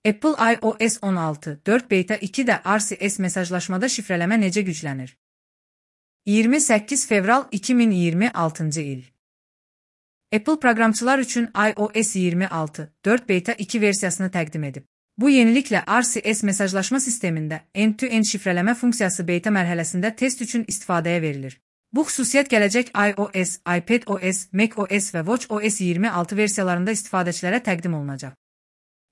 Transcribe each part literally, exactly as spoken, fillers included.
Apple iOS on altı nöqtə dörd beta ikidə R C S mesajlaşmada şifrələmə necə güclənir? iyirmi səkkiz fevral iki min iyirmi altıncı il. Apple proqramçılar üçün iOS iyirmi altı nöqtə dörd beta iki versiyasını təqdim edib. Bu yeniliklə R C S mesajlaşma sistemində end-to-end şifrələmə funksiyası beta mərhələsində test üçün istifadəyə verilir. Bu xüsusiyyət gələcək iOS, iPadOS, macOS və watchOS iyirmi altı versiyalarında istifadəçilərə təqdim olunacaq.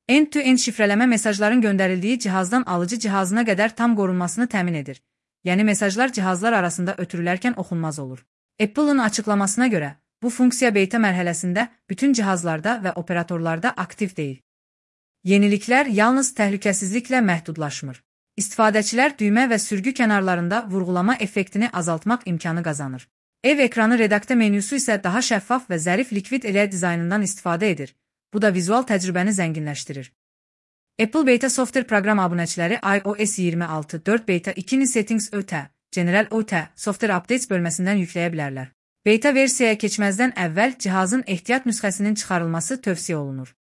End-to-end şifrələmə mesajların göndərildiyi cihazdan alıcı cihazına qədər tam qorunmasını təmin edir. Yəni mesajlar cihazlar arasında ötürülərkən oxunmaz olur. Apple'ın açıqlamasına görə, bu funksiya beta mərhələsində bütün cihazlarda və operatorlarda aktiv deyil. Yeniliklər yalnız təhlükəsizliklə məhdudlaşmır. İstifadəçilər düymə və sürgü kənarlarında vurğulama effektini azaltmaq imkanı qazanır. Ev ekranı redaktə menyusu isə daha şəffaf və zərif likvid elə dizaynından istifadə edir. Bu da vizual təcrübəni zənginləşdirir. Apple Beta Software proqram abunəçiləri iOS iyirmi altı nöqtə dörd beta ikini Settings ÖTə, General ÖTə, Software Updates bölməsindən yükləyə bilərlər. Beta versiyaya keçməzdən əvvəl cihazın ehtiyat nüsxəsinin çıxarılması tövsiyə olunur.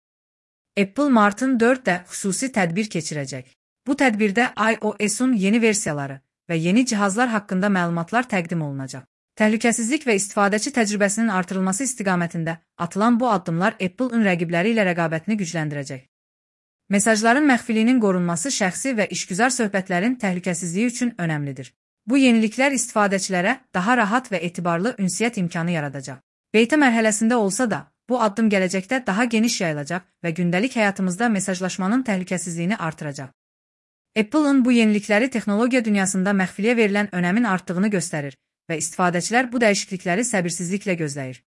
Apple martın dördündə xüsusi tədbir keçirəcək. Bu tədbirdə iOS-un yeni versiyaları və yeni cihazlar haqqında məlumatlar təqdim olunacaq. Təhlükəsizlik və istifadəçi təcrübəsinin artırılması istiqamətində atılan bu addımlar Apple-ın rəqibləri ilə rəqabətini gücləndirəcək. Mesajların məxfiliyinin qorunması şəxsi və işgüzar söhbətlərin təhlükəsizliyi üçün önəmlidir. Bu yeniliklər istifadəçilərə daha rahat və etibarlı ünsiyyət imkanı yaradacaq. Beta mərhələsində olsa da, bu addım gələcəkdə daha geniş yayılacaq və gündəlik həyatımızda mesajlaşmanın təhlükəsizliyini artıracaq. Apple-ın bu yenilikləri texnologiya dünyasında məxfiliyə verilən önəmin artdığını göstərir və istifadəçilər bu dəyişiklikləri səbirsizliklə gözləyir.